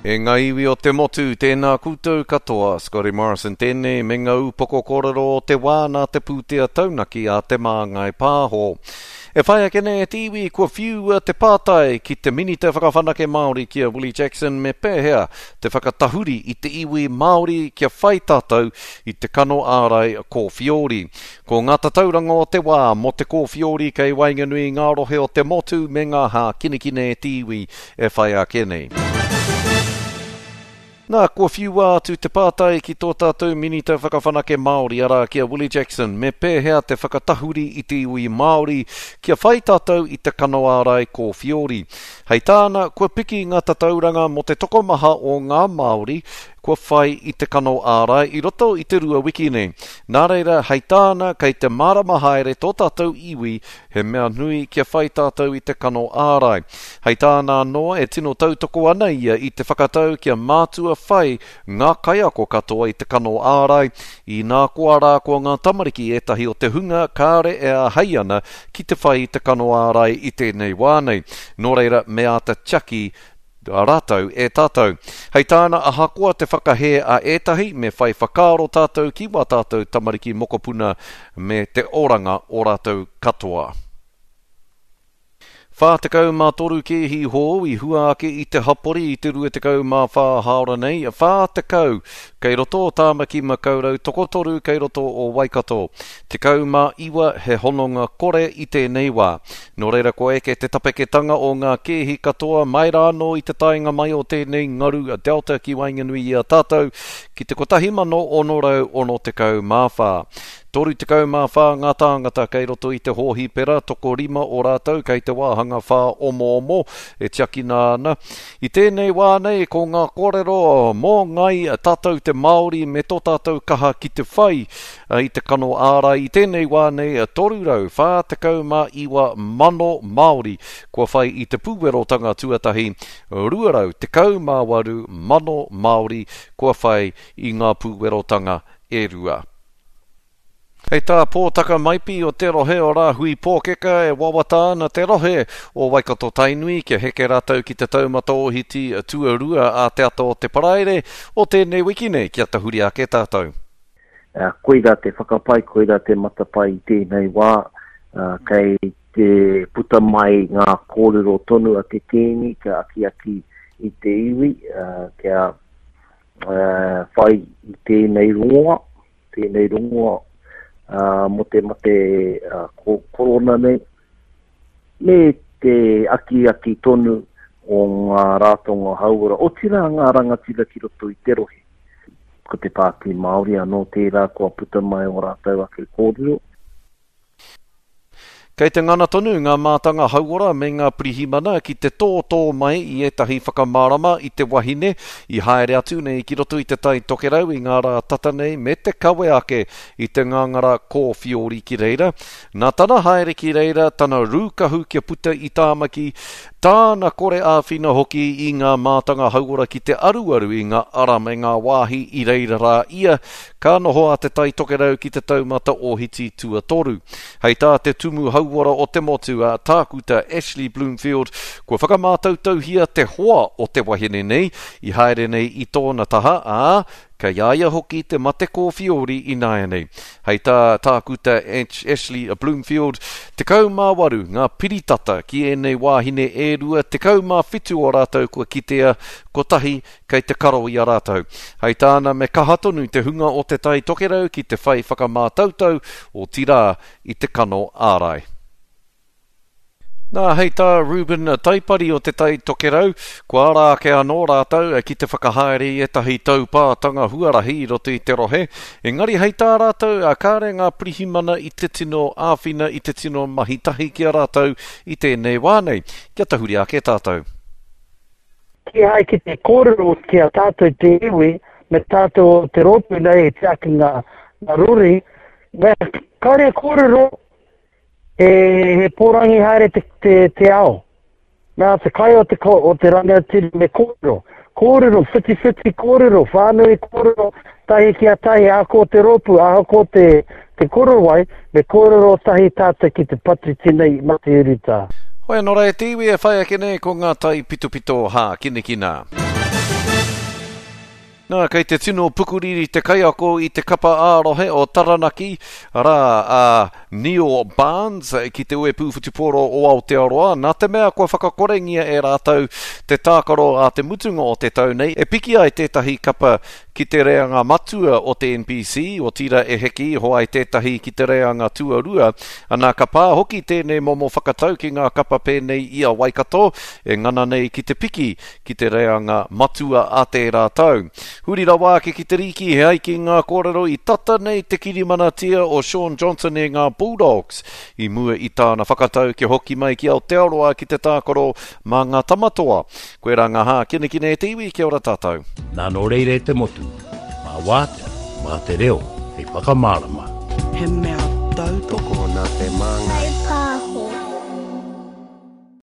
E ngā iwi o te motu, tēnā koutou katoa, Scotty Morrison tēnei me ngā upoko kōrero o te wā nā te pūtea taunaki a Te Māngai Pāho. E whai ake nei e te iwi kua whiua te pātai ki te Minita Whakawhanake Māori ki a Willie Jackson me pēhea te whakatahuri i te iwi Māori kia whai tātou i te kano ārai kōwhiori. Ko ngā tatauranga o te wā mō te kōwhiori kei waenganui i ngā rohe o te motu me ngā hākinakina e te iwi e whai ake nei. Nā, kua whiua atu te pātai ki tō tātou Minita Whakawhanake Māori, arā, ki a Willie Jackson, me pēhea te whakatahuri i te iwi Māori kia whai tātou i te kano ārai kōwhiori. Hei tāna, kua piki ngā tatauranga mō te tokomaha o ngā Māori kua whai i te kano ārai i roto i te rua wiki nei. Nā reira, hei tāna, kei te mārama haere tō tātou iwi He mea nui kia whai tātou i te kano ārai. Hei tāna anō, e tino tautoko ana ia i te whakatau kia mātua whai ngā kaiako katoa i te kano ārai, inā koa rā ko ngā tamariki ētahi o te hunga kāre e āhei ana ki te whai i te kano ārai i tēnei wā nei. Nō reira, me āta tiaki rātou e tātou. Hei tāna, ahakoa te whakahē a ētahi, me whai whakaaro tātou ki wā tātou tamariki mokopuna me te oranga o rātou katoa. 43 kēhi hou i hua ake i te hapori i te 24 hāora nei, 40 kei roto o Tāmaki Makaurau, tokotoru kei roto o Waikato. 19 he hononga kore i tēnei wā. Nō reira kua eke te tapeketanga o ngā kēhi katoa mai rā anō i te taenga mai o tēnei ngaru Delta ki waenganui i a tātou ki te 1664. 34 ngā tāngata kei roto i te hōhipera, tokorima o rātou kei te wāhanga whāomoomo e tiakina ana. I tēnei wā nei ko ngā kōrero mō Ngāi Tātou te Māori me tō tātou kaha ki te whai I te kano ārai i tēnei wā nei, 349 mano Māori kua whai i te pūwerotanga tuatahi, 218 mano Māori kua whai i ngā pūwerotanga e rua. Hei tā Pōtaka Maipi o te rohe o Rāhui Pōkeka e wawata ana te rohe o Waikato Tainui kia heke rātou ki te taumata ōhiti tuarua a te ata o te Paraire o tēnei wiki nei kia tahuri ake tātou. Koirā te whakapae, koirā te matapae i tēnei wā, kei te puta mai ngā kōrero tonu a te Kīngi kia akiaki i te iwi kia whai i tēnei rongoa, tēnei rongoa mō te mate korona nei, me te akiaki tonu o ngā rātonga hauora, otirā ngā rangatira ki roto i te rohe. Ko te Pāti Māori anō tērā kua puta mai ō rātou ake kōrero. Kei te ngana tonu ngā mātanga hauora me ngā pirihimana ki te tōtō mai i ētahi whakamārama i te wahine i haere atu nei ki roto i Te Tai Tokerau i ngā rā tata nei me te kawe ake i te ngāngara kōwhiori ki reira. Nā tana haere ki reira, tana rūkahu kia puta i Tāmaki, tāna kore āwhina hoki i ngā mātanga hauora ki te aruaru i ngā ara me ngā wāhi i reira rā ia, ka noho a Te Tai Tokerau ki te taumata ōhiti tuatoru. Hei tā te Tumu Hauora o te motu, a Tākuta Ashley Bloomfield, kua whakamātautauhia te hoa o te wahine nei i haere nei i tōna taha, ā, Kei a ia hoki te mate kōwhiori ināianei. Hei tā Tākuta Ashley Bloomfield, 18 ngā piritata ki ēnei wāhine e rua, 17 o rātou kua kitea, kotahi kei te karo i a rātou. Hei tāna me kaha tonu te hunga o Te Tai Tokerau ki te whai whakamātautau, otirā i te kano ārai. Nā, hei tā Reuben Taipari o Te Tai Tokerau, kua ara ake anō rātou ki te whakahaere i ētahi taupātanga huarahi i roto i te rohe, engari hei tā rātou, kāre ngā pirihimana i te tino āwhina, i te tino mahi tahi ki a rātou i tēnei wā nei. Kia tahuri ake tātou. Kīhai ki te kōrero ki a tātou te iwi, me tātou o te rōpū nei e tiaki ngā rori, me kāre kōrero He, he pōrangi haere te, te, te ao. Nā te kai o te, o te rangatira me kōrero. Kōrero, whitiwhiti kōrero, whānui kōrero, tahi ki a tahi, ahakoa te rōpū, ahakoa te, te korowai, me kōrero tahi tātou ki te patu tinei mate urutā. Hoi anō rā e te iwi e whai ake nei ko ngā taipitopito hākinakina. Nā, kei te tino pukuriri te kaiako i te kapa ā-rohe o Taranaki, arā, a Neil Barnes, ki te Uepū Whutupōro o Aotearoa, nā te mea kua whakakorengia e rātou te tākaro ā te mutunga o te tau nei, e piki ai tētahi kapa ki te reanga matua o te NPC, otirā e heke iho ai tētahi ki te reanga tuarua. Anā, ka pā hoki tēnei momo whakatau ki ngā kapa pēnei i a Waikato, e ngana nei ki te piki ki te reanga matua a tērā tau. Huri rawa ake ki te rīki, he ai ki ngā kōrero i tata nei te kirimanatia o Shaun Johnson e ngā Bulldogs i mua i tāna whakatau kia hoki mai ki Aotearoa ki te tākaro mā ngā Tamatoa. Koirā ngā hākinakina e te iwi, kia ora tātou. Nā nō reira e te motu, mā Wātea, mā te reo hei whakamārama. He mea tautoko. Tokona te māngai.